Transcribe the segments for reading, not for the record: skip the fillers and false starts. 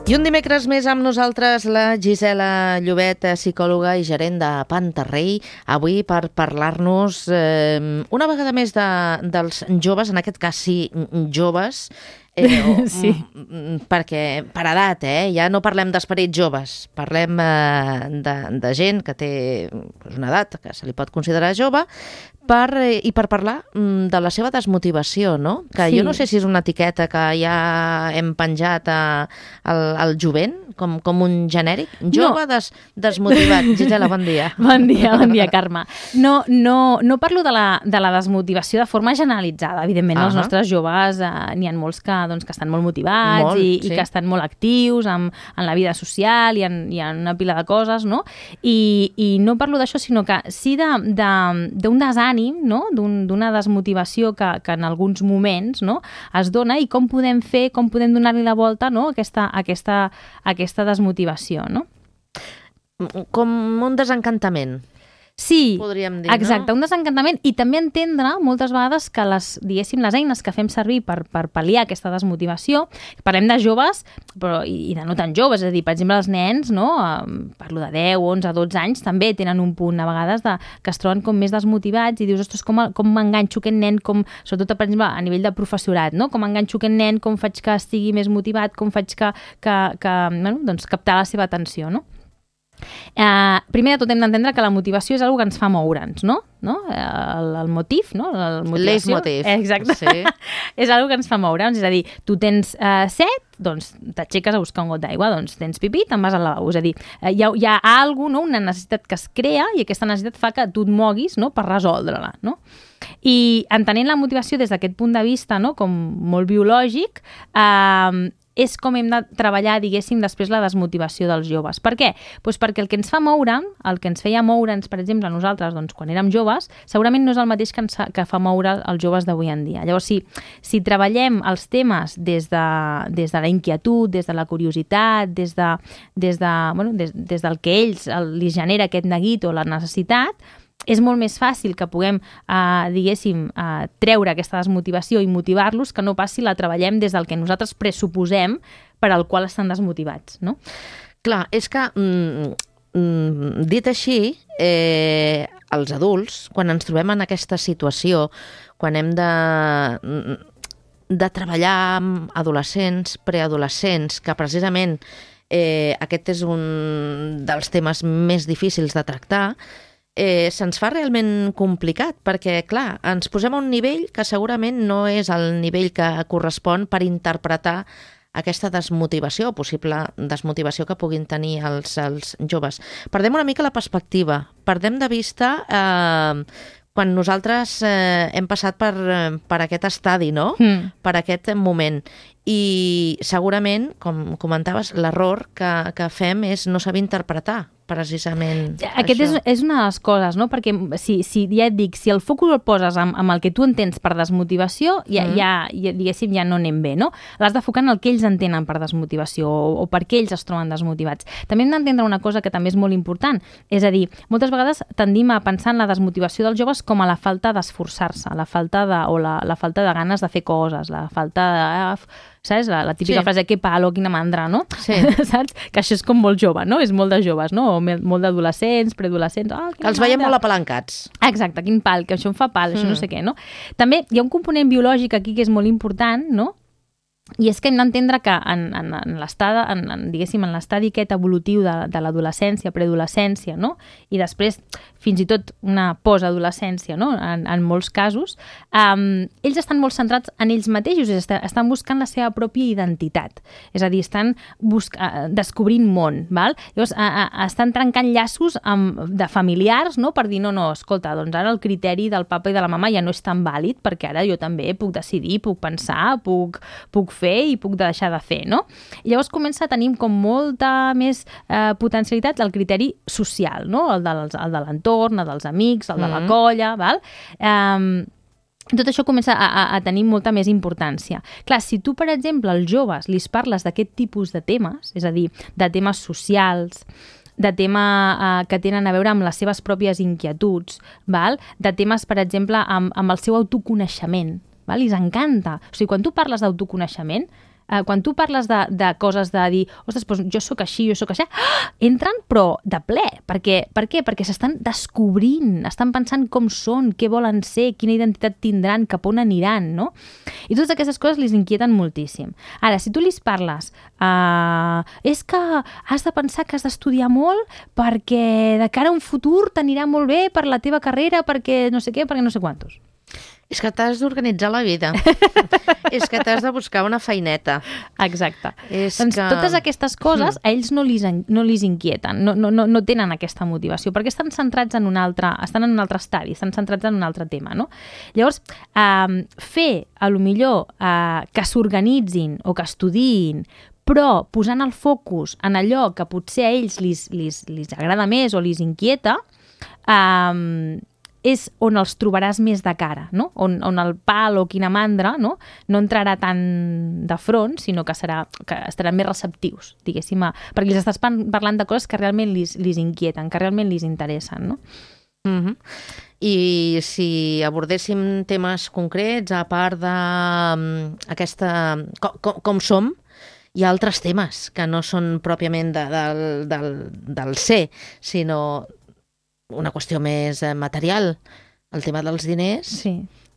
I un dimecres més amb nosaltres la Gisela Llobet, psicòloga i gerent de Pantarrey, avui per parlar-nos una vegada més dels joves, en aquest cas sí, joves, sí. Perquè per edat, ja no parlem d'esperits joves, parlem de gent que té una edat que se li pot considerar jove, i per parlar de la seva desmotivació, no? Que Sí. jo no sé si és una etiqueta que ja hem penjat al jovent, com un genèric. Jove desmotivat. Gisela, bon dia. Bon dia, Carme. No parlo de la desmotivació de forma generalitzada. Evidentment, els nostres joves n'hi ha molts que estan molt motivats i que estan molt actius en la vida social i hi ha una pila de coses, no? I no parlo d'això, sinó que sí d'un desànim, no? D'una desmotivació que en alguns moments, no? Es dona, i com podem donar-li la volta, no? Aquesta desmotivació, no? Com un desencantament. Sí, podríem dir, exacte, no? Un desencantament, i també entendre moltes vegades que les eines que fem servir per pal·liar aquesta desmotivació, parlem de joves però i de no tan joves, és a dir, per exemple, els nens, no? Parlo de 10, 11, 12 anys, també tenen un punt a vegades que es troben com més desmotivats i dius, ostres, com m'enganxo aquest nen, sobretot, per exemple, a nivell de professorat, no? Com enganxo aquest nen, com faig que estigui més motivat, com faig que captar la seva atenció, no? Primer de tot hem d'entendre que la motivació és una cosa que ens fa moure'ns, no? El motiu, no? Leitmotiv. Exacte. Sí. És una cosa que ens fa moure'ns, és a dir, tu tens set, doncs t'aixeques a buscar un got d'aigua, doncs tens pipí, te'n vas al lavabo, és a dir, hi ha alguna cosa, no? Una necessitat que es crea i aquesta necessitat fa que tu et moguis, no? Per resoldre-la, no? I entenent la motivació des d'aquest punt de vista, no? Com molt biològic, és com hem de treballar, diguéssim, després la desmotivació dels joves. Per què? Doncs perquè el que ens fa moure, el que ens feia moure'ns, per exemple, a nosaltres, doncs, quan érem joves, segurament no és el mateix que fa moure els joves d'avui en dia. Llavors, si treballem els temes des de la inquietud, des de la curiositat, des del que ells li genera aquest neguit o la necessitat, és molt més fàcil que puguem, diguéssim, treure aquesta desmotivació i motivar-los que no pas si la treballem des del que nosaltres pressuposem per al qual estan desmotivats, no? Clar, és que, dit així, els adults, quan ens trobem en aquesta situació, quan hem de treballar amb adolescents, preadolescents, que precisament aquest és un dels temes més difícils de tractar, se'ns fa realment complicat, perquè, clar, ens posem a un nivell que segurament no és el nivell que correspon per interpretar aquesta desmotivació, possible desmotivació que puguin tenir els joves. Perdem una mica la perspectiva, perdem de vista quan nosaltres hem passat per aquest estadi, no? Per aquest moment. I segurament, com comentaves, l'error que fem és no saber interpretar precisament Aquest això. és una de les coses, no? Perquè si ja et dic, si el focus el poses amb el que tu entens per desmotivació, diguéssim, ja no anem bé, no? L'has de focar en el que ells entenen per desmotivació o per què ells es troben desmotivats. També hem d'entendre una cosa que també és molt important, és a dir, moltes vegades tendim a pensar en la desmotivació dels joves com a la falta d'esforçar-se, la falta de ganes de fer coses, la falta de... Saps? La típica frase, que palo, quina mandra, no? Sí. Saps? Que això és com molt jove, no? És molt de joves, no? O molt d'adolescents, preadolescents... Els veiem molt apalancats. Exacte, quin pal, que això em fa pal, això no sé què, no? També hi ha un component biològic aquí que és molt important, no? I és que hem d'entendre que en l'estadi aquest evolutiu de l'adolescència, preadolescència, no? I després, fins i tot, una postadolescència, no? En molts casos, ells estan molt centrats en ells mateixos, estan buscant la seva pròpia identitat. És a dir, estan descobrint món, val? Llavors, estan trencant llaços de familiars, no? Per dir, no, escolta, doncs ara el criteri del papa i de la mama ja no és tan vàlid, perquè ara jo també puc decidir, puc pensar, puc fer i puc deixar de fer, no? I llavors comença a tenir com molta més potencialitat el criteri social, no? El de l'entorn, el dels amics, el de la colla, val? Tot això comença a tenir molta més importància. Clar, si tu, per exemple, als joves li parles d'aquest tipus de temes, és a dir, de temes socials, de temes que tenen a veure amb les seves pròpies inquietuds, val? De temes, per exemple, amb el seu autoconeixement, val? I els encanta. O sigui, quan tu parles d'autoconeixement, quan tu parles de coses de dir, ostres, doncs jo sóc així, jo sóc així, entren però de ple. Per què? Perquè s'estan descobrint, estan pensant com són, què volen ser, quina identitat tindran, cap on aniran, no? I totes aquestes coses les inquieten moltíssim. Ara, si tu li parles, és que has de pensar que has d'estudiar molt perquè de cara a un futur t'anirà molt bé per la teva carrera, perquè no sé què, perquè no sé quantos. És que t'has d'organitzar la vida. És que t'has de buscar una feineta. Exacte. Doncs totes aquestes coses a ells no li inquieten, no tenen aquesta motivació, perquè estan centrats en un altre estadi, estan centrats en un altre tema, no? Llavors, fer, a lo millor, que s'organitzin o que estudiïn, però posant el focus en allò que potser a ells li agrada més o li inquieta, és on els trobaràs més de cara, no? On el pal o quina mandra no entrarà tan de front, sinó que estaran més receptius, diguéssim, perquè els estàs parlant de coses que realment li inquieten, que realment li interessen, no? I si abordéssim temes concrets, a part d'aquesta... com som, hi ha altres temes que no són pròpiament del ser, sinó una qüestió més material. El tema dels diners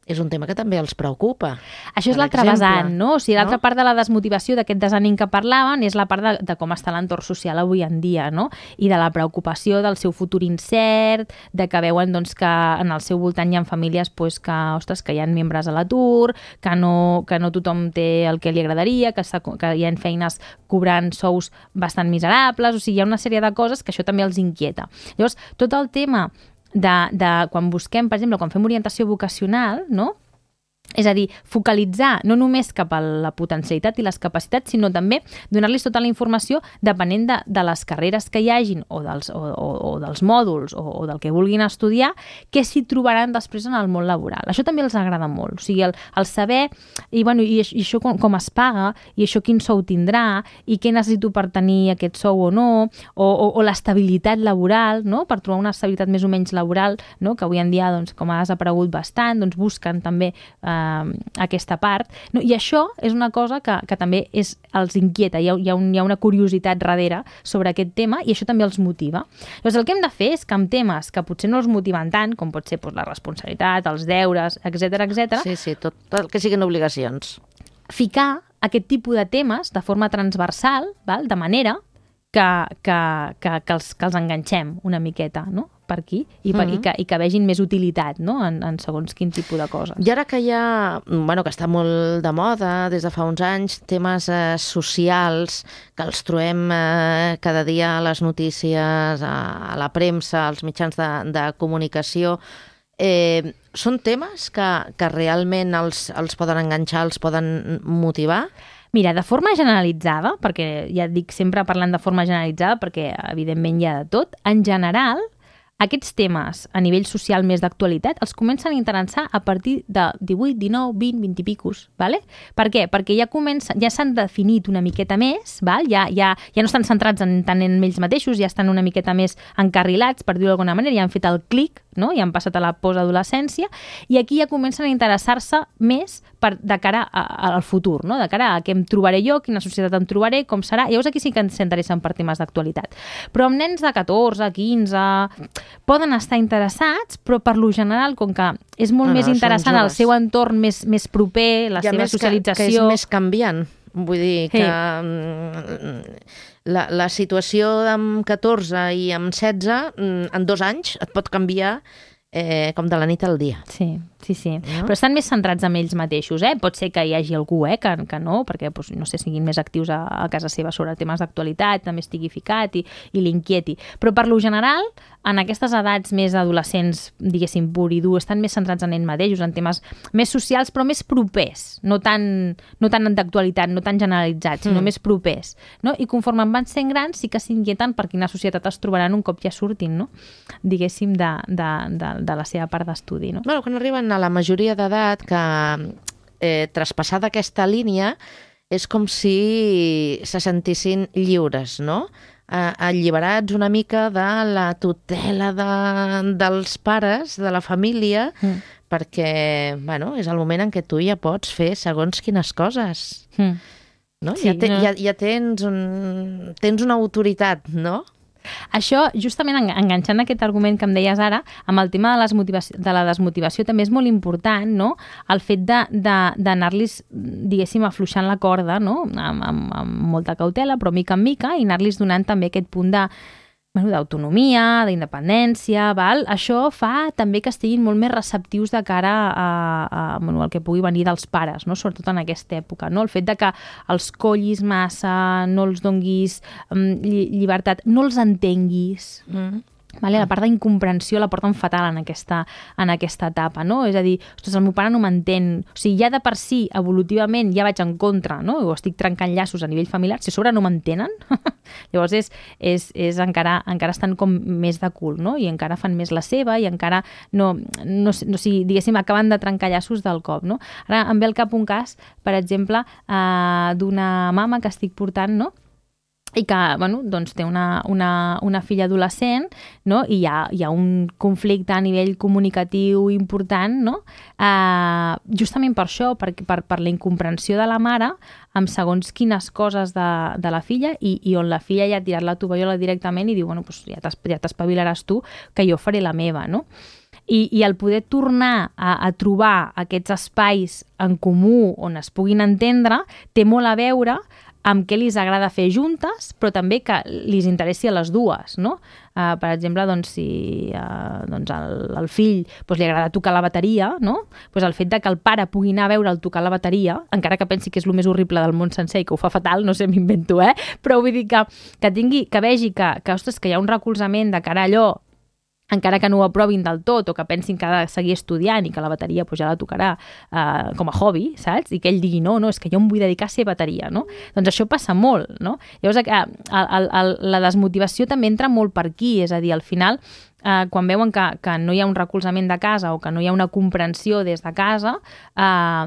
és un tema que també els preocupa. Això és l'altra vessant, no? O sigui, l'altra part de la desmotivació d'aquest desànim que parlaven és la part de com està l'entorn social avui en dia, no? I de la preocupació del seu futur incert, de que veuen doncs, que en el seu voltant hi ha famílies pues, que hi ha membres a l'atur, que no tothom té el que li agradaria, que hi ha feines cobrant sous bastant miserables, o sigui, hi ha una sèrie de coses que això també els inquieta. Llavors, tot el tema de quan busquem, per exemple, quan fem orientació vocacional, no? És a dir, focalitzar no només cap a la potencialitat i les capacitats, sinó també donar-los tota la informació depenent de les carreres que hi hagin o dels mòduls o del que vulguin estudiar, què s'hi trobaran després en el món laboral. Això també els agrada molt. O sigui, el saber i això com es paga i això quin sou tindrà i què necessito per tenir aquest sou o no, o l'estabilitat laboral, no? Per trobar una estabilitat més o menys laboral, no? Que avui en dia, doncs, com ha desaparegut bastant, doncs busquen també aquesta part, no? I això és una cosa que també els inquieta, hi ha una curiositat darrere sobre aquest tema i això també els motiva. Llavors el que hem de fer és que amb temes que potser no els motiven tant, com pot ser la responsabilitat, els deures, etc. Sí, tot el que siguin obligacions. Ficar aquest tipus de temes de forma transversal, val? De manera que els enganxem una miqueta, no? Per aquí, i que vegin més utilitat, no? En segons quin tipus de coses. I ara que que està molt de moda des de fa uns anys, temes socials, que els trobem cada dia a les notícies, a la premsa, als mitjans de comunicació, són temes que realment els poden enganxar, els poden motivar? Mira, de forma generalitzada, perquè ja et dic sempre parlant de forma generalitzada, perquè evidentment hi ha de tot, en general, aquests temes a nivell social més d'actualitat els comencen a interessar a partir de 18, 19, 20, 20 i picos, ¿vale? Per què? Perquè ja s'han definit una miqueta més, ¿val? Ja no estan centrats tant en ells mateixos, ja estan una miqueta més encarrilats, per dir-ho d'alguna manera, ja han fet el clic, no? Ja han passat a la postadolescència, i aquí ja comencen a interessar-se més de cara al futur, no? De cara a què em trobaré jo, quina societat em trobaré, com serà. Llavors aquí sí que ens interessen per temes d'actualitat. Però amb nens de 14, 15... poden estar interessats, però per lo general, com que és molt més interessant el seu entorn més proper, la seva socialització... Que és més canviant. Vull dir que la situació amb 14 i amb 16, en 2 anys, et pot canviar com de la nit al dia. Sí. No? Però estan més centrats en ells mateixos, Pot ser que hi hagi algú, que no, perquè, no sé, siguin més actius a casa seva sobre temes d'actualitat, també estigui ficat i l'inquieti. Però per lo general, en aquestes edats més adolescents, diguéssim, pur i dur, estan més centrats en ells mateixos, en temes més socials, però més propers, no tan d'actualitat, no tan generalitzats, sinó més propers. No? I conforme van sent grans, sí que s'inquieten per quina societat es trobaran un cop ja surtin, no? Diguéssim, de la seva part d'estudi. No? Bueno, quan arriben a la majoria d'edat, que traspassada aquesta línia és com si se sentissin lliures, no? Alliberats una mica de la tutela dels pares, de la família, perquè és el moment en què tu ja pots fer segons quines coses. no? Sí, ja tens una autoritat, no? Això, justament enganxant aquest argument que em deies ara, amb el tema de la desmotivació també és molt important, no? El fet d'anar-los, diguéssim, afluixant la corda, no? Amb molta cautela, però mica en mica, i anar-los donant també aquest punt d'autonomia, d'independència, val? Això fa també que estiguin molt més receptius de cara al que pugui venir dels pares, no? Sobretot en aquesta època, no? El fet de que els collis massa, no els donguis llibertat, no els entenguis, vale? La part d'incomprensió la porten fatal en aquesta etapa, no? És a dir, ostres, el meu pare no m'entén. O sigui, ja de per si, evolutivament, ja vaig en contra, no? O estic trencant llaços a nivell familiar, si a sobre no m'entenen, llavors encara estan com més de cul, no? I encara fan més la seva i encara no diguéssim, acaben de trencar llaços del cop, no? Ara em ve al cap un cas, per exemple, d'una mama que estic portant, no? I que, bueno, doncs té una filla adolescent, no? I hi ha un conflicte a nivell comunicatiu important, no? Justament per això, per la incomprensió de la mare amb segons quines coses de la filla i on la filla ja ha tirat la tovallola directament i diu, bueno, doncs ja t'espavilaràs tu, que jo faré la meva, no? I el poder tornar a trobar aquests espais en comú on es puguin entendre té molt a veure amb què li agrada fer juntes, però també que li interessi a les dues, no? Per exemple, doncs, si al fill li agrada tocar la bateria, no? Doncs el fet de que el pare pugui anar a veure'l tocar la bateria, encara que pensi que és el més horrible del món sencer i que ho fa fatal, no sé, m'invento, però vull dir que vegi que, ostres, que hi ha un recolzament de cara a allò, encara que no ho aprovin del tot o que pensin que ha de seguir estudiant i que la bateria ja la tocarà com a hobby, saps? I que ell digui, no, és que jo em vull dedicar a ser bateria, no? Doncs això passa molt, no? Llavors, la desmotivació també entra molt per aquí, és a dir, al final, quan veuen que no hi ha un recolzament de casa o que no hi ha una comprensió des de casa,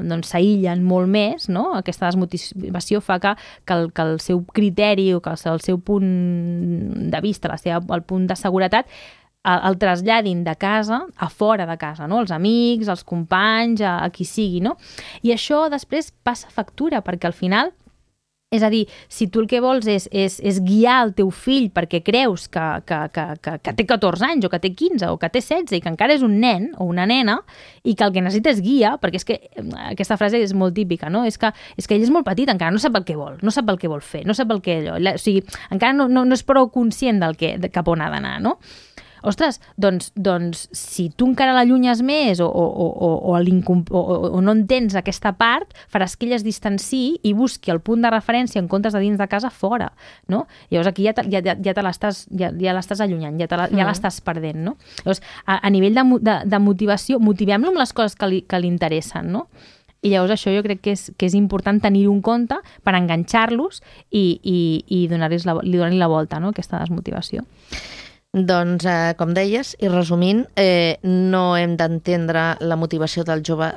doncs s'aïllen molt més, no? Aquesta desmotivació fa que el seu criteri o que el seu punt de vista, el punt de seguretat, el traslladin de casa a fora de casa, no? Els amics, els companys, a qui sigui, no? I això després passa factura, perquè al final, és a dir, si tu el que vols és guiar el teu fill perquè creus que té 14 anys o que té 15 o que té 16 i que encara és un nen o una nena i que el que necessita és guia, perquè és que aquesta frase és molt típica, no? És que ell és molt petit, encara no sap el que vol, no sap el que vol fer, no sap el que allò, o sigui, encara no és prou conscient cap on ha d'anar, no? Ostres, doncs si tu encara l'allunyes més o no entens aquesta part, faràs que ella es distanciï i busqui el punt de referència en comptes de dins de casa fora, no? Llavors aquí ja l'estàs allunyant, ja l'estàs perdent, no? Llavors, a nivell de motivació, motivem-lo amb les coses que li interessen, no? I llavors això jo crec que és important tenir-ho en compte per enganxar-los i donar-li la volta, no? Aquesta desmotivació. Doncs, com deies, i resumint, no hem d'entendre la motivació del jove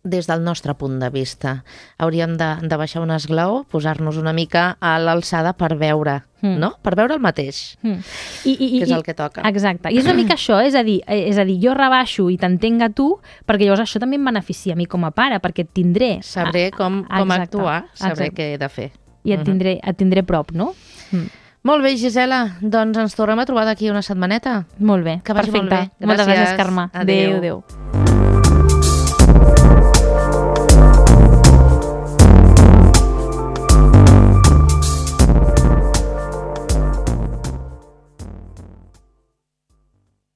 des del nostre punt de vista. Hauríem de baixar un esglaó, posar-nos una mica a l'alçada per veure, no? Per veure el mateix, que és el que toca. Exacte. I és una mica això, és a dir, jo rebaixo i t'entenc a tu, perquè llavors això també em beneficia a mi com a pare, perquè et tindré... Sabré com actuar, sabré què he de fer. I et tindré prop, no? Molt bé, Gisela. Doncs ens tornem a trobar d'aquí una setmaneta. Molt bé, que vagi perfecte. molt bé. Moltes gràcies, Carme. Adéu. Adéu.